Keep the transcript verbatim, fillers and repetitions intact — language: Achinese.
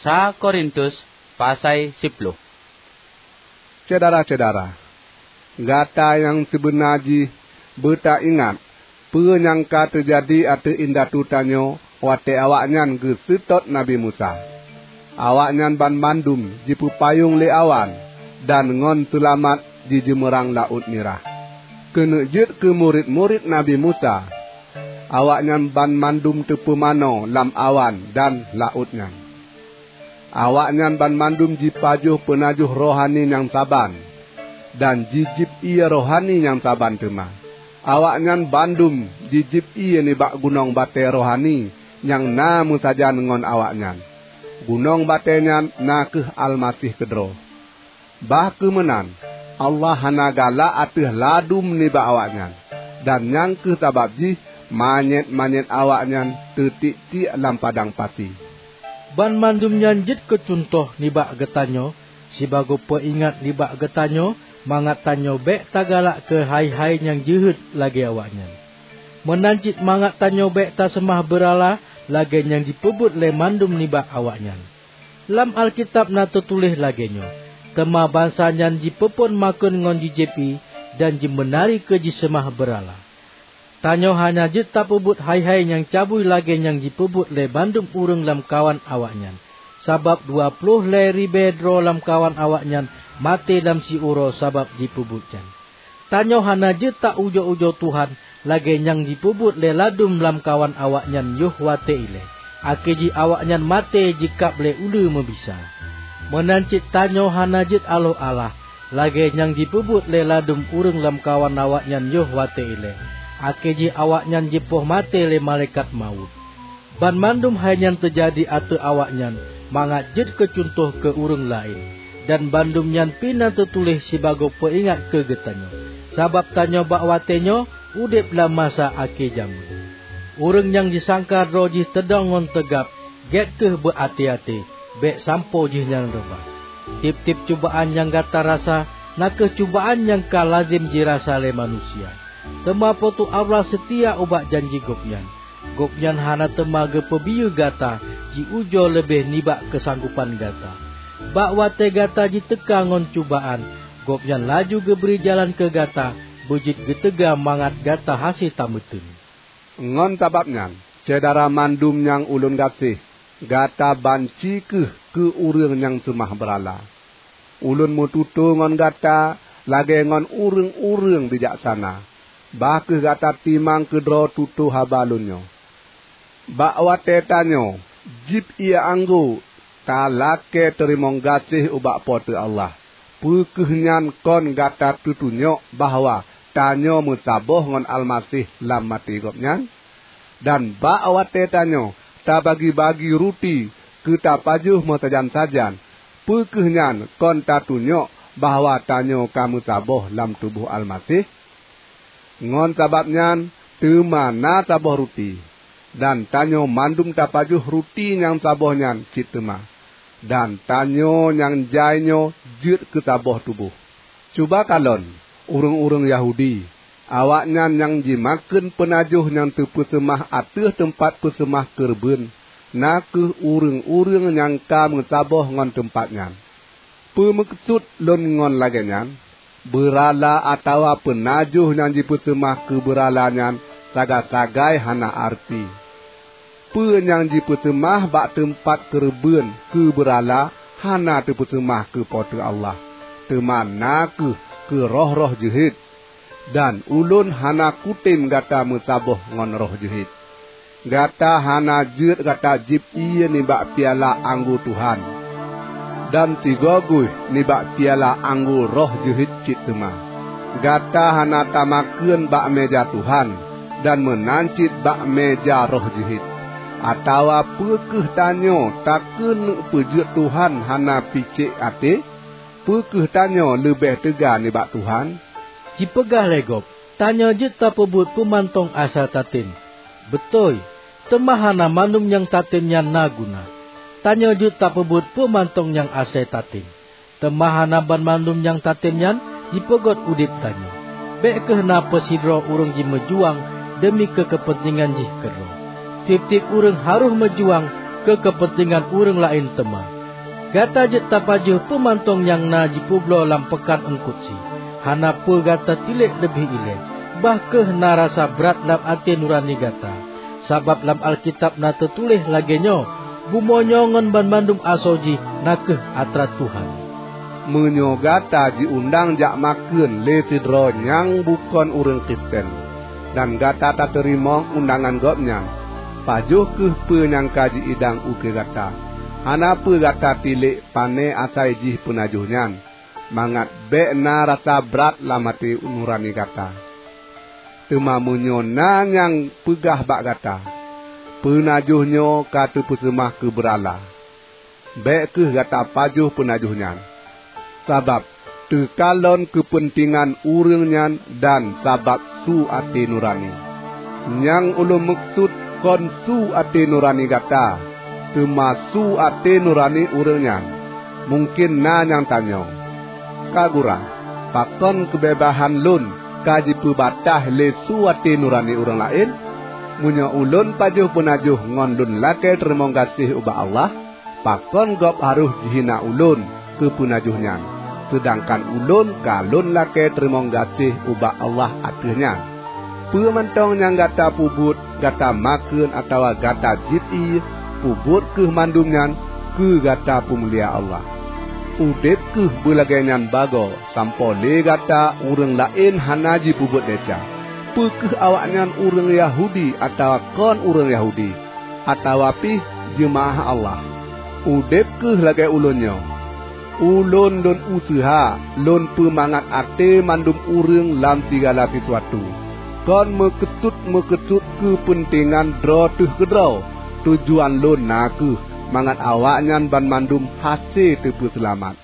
Sa Korintus pasai siploh. Syedara-syedara, gata nyang sibeuna jih beutaingat peue nyang ka teujadi ateueh indatu tanyoe watée awaknyan geuseutôt Nabi Musa. Awaknyan banmandum jipeupayong lé awan dan ngon seulamat jijeumeurang Laôt Mirah. Keuneuk jeuet keu murit-murit Nabi Musa, awaknyan banmandum teupeumanoe lam awan dan laôt nyan. Awaknyan banmandum jipajoh peunajoh rohani nyang saban, dan jijieb ié rohani nyang saban teuma. Awaknyan bandum jijieb ié nibak gunong batée rohani nyang na meusajan ngon awaknyan. Gunong batée nyan na kheueh Almaseh keudroe. Bah kheueh meunan, Allah hana galak ateueh ladum nibak awaknyan, dan nyang kheueh sabab jih manyét-manyét awaknyan teutiek-tiek lam padang pasi. Banmandum nyan jeuet keu cuntoh nibak geutanyoe, sibagoe peuingat nibak geutanyoe, mangat tanyoe bék tagalak keu hai-hai nyang jeuhet lagée awaknyan. Meunan cit mangat tanyoe bék taseumah beurala lagée nyang jipeubuet lé mandum nibak awaknyan. Lam Alkitab na teutuléh lagée nyoe, "Teuma bansa nyan jipeuphon makheun ngon jijieb ié, dan jimeunari keu jiseumah beurala." Tanyoe hana jeuet tapeubuet hai-hai nyang cabui lagée nyang jipeubuet lé bandum ureuëng lamkawan awaknyan, sabab dua ploh lhée ribée droe lamkawan awaknyan maté lam siuroe sabab jipeubuet nyan. Tanyoe hana jeuet ta-ujoe-ujoe Tuhan lagée nyang jipeubuet lé ladum lamkawan awaknyan yoh watée ilée, akhé jih awaknyan maté jikab lé uleue meubisa. Meunan cit tanyoe hana jeuet aloh-alah lagée nyang jipeubuet lé ladum ureuëng lamkawan awaknyan yoh watée ilée, akhé jih awaknyan jipoh maté lé malaikat mawöt. Banmandum hai nyan teujadi ateueh awaknyan mangat jeuet keu cuntoh keu ureuëng laén, dan bandum nyan pih na teutuléh sibagoe peuingat keu geutanyoe, sabab tanyoe bak watée nyoe udeb lam masa akhé jamén. Ureuëng nyang jisangka droe jih teudong ngon teugab, gét kheueh beu até-até, bék sampoe jihnyan reubah. Tieb-tieb cubaan nyang gata rasa na kheueh cubaan nyang ka lazem jirasa lé manusia. Teuma Po teu Allah seutia ubak janji Gobnyan. Gobnyan hana teuma geupeubiyeu gata jiujoe leubeh nibak keusanggopan gata. Bak watée gata jiteuka ngon cubaan, Gobnyan laju geubri jalan keu gata beujeuet geuteuga mangat gata hase tameuteun. Ngon sabab nyan, syedara mandum nyang ulôn gaséh, gata banci kheueh keu ureuëng nyang seumah beurala. Ulôn meututoe ngon gata lagée ngon ureuëng-ureuëng bijaksana. Bah kheueh gata timang keudroe tutoe haba lôn nyoe. Bak watée tanyoe jieb ié anggô, talakée teurimong gaséh ubak Po teu Allah. Peu kheueh nyan kon gata teutunyok bahwa tanyoe meusaboh ngon Almaseh lam maté Gobnyan? Dan bak watée tanyoe tabagi-bagi ruti keu tapajoh meusajan-sajan, peu kheueh nyan kon tatunyok bahwa tanyoe ka meusaboh lam tuboh Almaseh? Ngon sabab nyan teuma na saboh ruti, dan tanyoe mandum tapajoh ruti nyang saboh nyan cit teuma, dan tanyoe nyang jai nyoe jeuet keu saboh tuboh. Cuba kalon ureuëng-ureuëng Yahudi, awaknyan nyang jimakheun peunajoh nyang teupeuseumah ateueh teumpat peuseumah keureubeuen, na kheueh ureuëng-ureuëng nyang ka meusaboh ngon teumpat nyan. Peue meukeusut lôn ngon lagée nyan? Beurala atawa peunajoh nyang jipeuseumah keu beurala nyan sagai-sagai hana areuti. Peue nyang jipeuseumah bak teumpat keureubeuen keu beurala hana teupeuseumah keu Po teu Allah, teuma na kheueh keu roh-roh jeuhet. Dan ulôn hana kutem gata meusaboh ngon roh jeuhet. Gata hana jeuet gata jieb ié nibak piala anggô Tuhan, dan sigoe guih nibak piala anggô roh jeuhet cit teuma. Gata hana tamakheun bak méja Tuhan, dan meunan cit bak méja roh jeuhet. Atawa peu kheueh tanyoe takeuneuk peujeuet Tuhan hana picék até? Peu kheueh tanyoe leubeh teuga nibak Tuhan? Jipeugah lé gob, "Tanyoe jeuet tapeubuet peue mantong asai tatem." Beutôi, teuma hana mandum nyang tatem nyan na guna. Tanyoe jeuet tapeubuet peue mantong nyang asai tatem. Teuma hana banmandum nyang tatem nyan jipeugét udeb tanyoe. Bék kheueh na peusidroe ureuëng jimeujuang deumi keu keupeuntengan jih keudroe. Tieb-tieb ureuëng harôh meujuang keu keupeuntengan ureuëng laén teuma. Gata jeuet tapajoh peue mantong nyang na jipeubloe lam peukan eungkot sie. Hana peue gata tilek leubeh ilée, bah kheueh na rasa brat lam até nurani gata. Sabab lam Alkitab na teutuléh lagée nyoe, "Bumoe nyoe ngon banmandum asoe jih na kheueh atra Tuhan." Meunyoe gata jiundang jak makheun lé sidroe nyang bukon ureuëng Kristen, dan gata tateurimong undangan gobnyan, pajoh kheueh peue nyang ka jiidang ukeue gata. Hana peue gata tilek pane asai jih peunajoh nyan, mangat bék na rasa brat lam até nurani gata. Teuma meunyoe na nyang peugah bak gata, "Peunajoh nyoe ka teupeuseumah keu beurala," bék kheueh gata pajoh peunajoh nyan. Sabab teukalon keupeuntengan ureuëng nyan dan sabab su até nurani. Nyang ulôn meukeusut kon su até nurani gata, teuma su até nurani ureuëng nyan. Mungken na nyang tanyong, "Ka gura, pakon keubeubaihan lôn ka jipeubatah lé su até nurani ureuëng laén?" Meunyoe ulôn pajoh peunajoh ngon lôn lakée teurimong gaséh ubak Allah, pakon gob harôh jihina ulôn keu peunajoh nyan, seudangkan ulôn ka lôn lakée teurimong gaséh ubak Allah ateueh nyan? Peue mantong nyang gata peubuet, gata makheun atawa gata jieb ié, peubuet kheueh mandum nyan keu gata peumulia Allah. Udeb kheueh beulagée nyan bagoe sampoe lé gata ureuëng laén hana jipeubuet desya, peu kheueh awaknyan ureuëng Yahudi atawa kon ureuëng Yahudi, atawa pih jeumaáh Allah. Udeb kheueh lagée ulôn nyoe. Ulôn lôn useuha lôn peumangat até mandum ureuëng lam sigala sisuatu, kon meukeusut-meukeusut keupeuntengan droe teuh keudroe. Tujuan lôn na kheueh mangat awaknyan banmandum hase teupeuseulamat.